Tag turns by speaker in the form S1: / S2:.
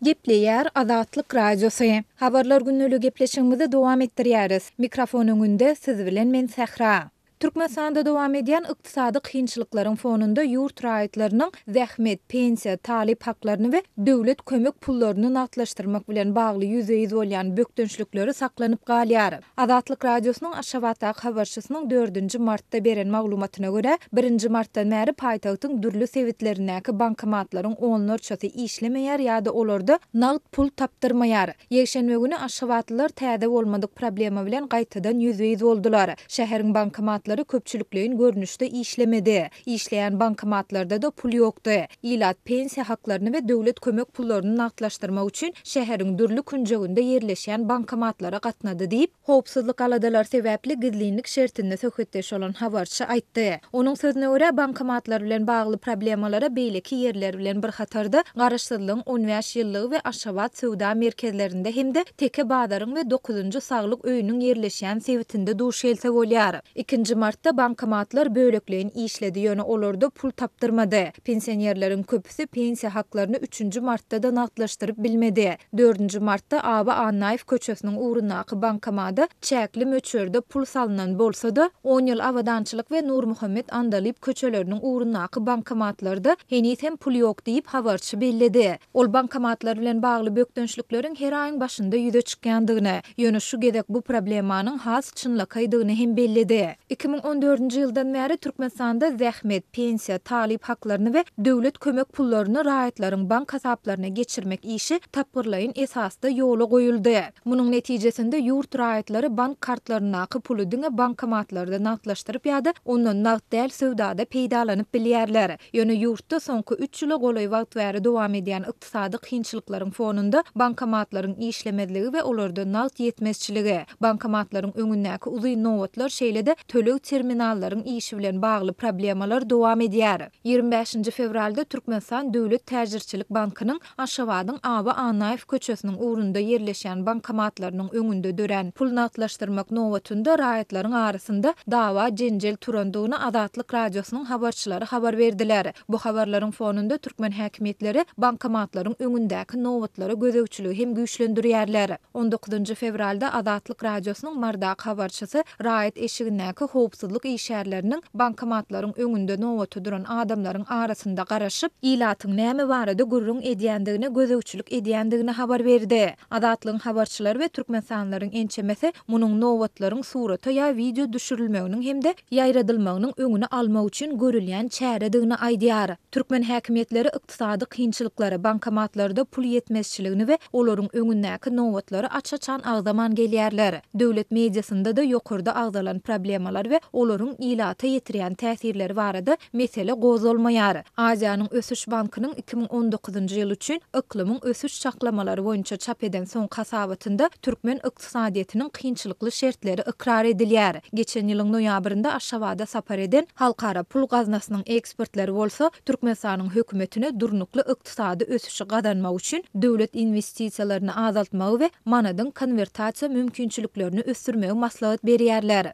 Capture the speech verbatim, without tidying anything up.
S1: Gepleýär Azatlyk Radiosy. Habarlar gündeligi gepleşigimizi dowam etdirýäris. Mikrofon öňünde siz bilen men Sähra. Türkmenistanda dowam edýän ykdysady kynçylyklaryň fonunda ýurt raýatlarynyň zähmet, pensiýa, talyp haklaryny we döwlet kömek pullaryny nagtlaşdyrmak bilen bagly ýüzbe-ýüz bolýan bökdençlikleri saklanyp galýar. Azatlyk Radiosynyň Aşgabatdaky habarçysynyň dördünji martda beren maglumatyna görä, birinji martdan bäri paýtagtyň dürli sebitlerindäki bankomatlaryň onlarçasy işlemeýär ýa-da olarda nagt pul tapdyrmaýar. Ýekşenbe güni aşgabatlylar täze bolmadyk problema bilen gaýtadan ýüzbe-ýüz boldular. Şäheriň bankomatlary köpçülikleýin görnüşde işlemedi. Işleýän bankomatlarda-da pul ýokdy. Ilat pensiýa haklaryny we döwlet kömek pullaryny nagtlaşdyrmak üçin şäheriň dürli künjeginde ýerleşýän bankomatlara gatnady diýip, howpsuzlyk aladalary sebäpli gizlinlik şertinde söhbetdeş bolan habarçy aýtdy. Onuň sözüne görä, bankomatlar bilen bagly problemalara beýleki ýerler bilen bir hatarda Garaşsyzlygyň on bäş ýyllygy we Aşgabat söwda merkezlerinde hem-de Teke bazaryň we dokuzynjy saglyk öýüniň ýerleşýän sebitinde duş gelse bolýar. Ikinji martda bankomatlar bölekleýin işledi, ýöne olarda pul tapdyrmady. Pensionerleriň köpüsi pensiýa haklaryny üçünji martda-da nagtlaşdyryp bilmedi. Dördünji martda Aba Annaýew köçesiniň ugrundaky bankomada çäkli möçberde pul salnan bolsa-da, on ýyl Abadançylyk we Nurmuhammet Andalyp köçeleriniň ugrundaky bankomatlarda heniz hem pul ýok diýip, habarçy belledi. Ol bankomatlar bilen bagly bökdençlikleriň her aýyň başynda ýüze çykýandygyny, ýöne şu gezek bu problemanyň has çynlakaýdygyny hem belledi. Iki müň on dördünji ýyldan bäri Türkmenistanda zähmet, pensiýa, talyp haklaryny we döwlet kömek pullaryny raýatlaryň bank hasaplaryna geçirmek işi tapgyrlaýyn esasda ýola goýuldy. Munuň netijesinde ýurt raýatlary bank kartlaryndaky puly diňe bankomatlarda nagtlaşdyryp ýa-da ondan nagt däl söwdada peýdalanyp bilýärler. Ýöne ýurtda soňky üç ýyla golaý wagt bäri dowam edýän ykdysady kynçylyklaryň fonunda bankomatlaryň işlemezligi we olarda nagt ýetmezçiligi, bankomatlaryň öňündäki uzyn nobatlar şeýle-de töleg terminallaryň işi bilen bagly problemalar dowam edýär. Ýigrimi bäşinji fewralda Türkmenistan Döwlet täjirçilik bankynyň Aşgabadyň Aba Annaýew köçesiniň ugrunda ýerleşýän bankomatlarynyň öňünde dörän pul nagtlaşdyrmak nobatynda raýatlaryň arasynda dawa-jenjel turandygyny Azatlyk Radiosynyň habarçylary habar berdiler. Bu habarlaryň fonunda türkmen häkimiýetleri bankomatlaryň öňündäki nobatlara gözegçiligi hem güýçlendirýärler. On dokuzynjy fewralda Azatlyk Radiosynyň Mardaky habarçysy raýat eşigindäki howpsuzlyk işgärleriniň bankomatlaryň öňünde nobata duran adamlaryň arasynda garaşyp, ilatyň näme barada gürrüň edýändigine gözegçilik edýändigini habar berdi. Azatlygyň habarçylary we türkmenistanlylaryň ençemesi munuň nobatlaryň surata ýa wideo düşürilmeginiň hem-de ýaýradylmagynyň öňüni almak üçin görülýän çäredigini aýdýar. Türkmen häkimiýetleri ykdysady kynçylyklary, bankomatlarda pul ýetmezçiligini we olaryň öňündäki nobatlary aç-açan agzaman gelýärler. Döwlet mediasynda-da ýokarda agzalan problemalar we olaryň ilata ýetirýän täsirleri barada mesele gozgalmaýar. Aziýanyň Ösüş bankynyň iki müň on dokuzynjy ýyl üçin yklymyň ösüş çaklamalary boýunça çap eden soňky hasabatynda türkmen ykdysadyýetiniň kynçylykly şertleri ykrar edilýär. Geçen ýylyň noýabrynda Aşgabada sapar eden Halkara pul gaznasynyň ekspertleri bolsa Türkmenistanyň hökümetine durnukly ykdysady ösüşi gazanmak üçin döwlet inwestisiýalaryny azaltmagy we manadyň konwertasiýa mümkinçiliklerini ösdürmegi maslahat berýärler.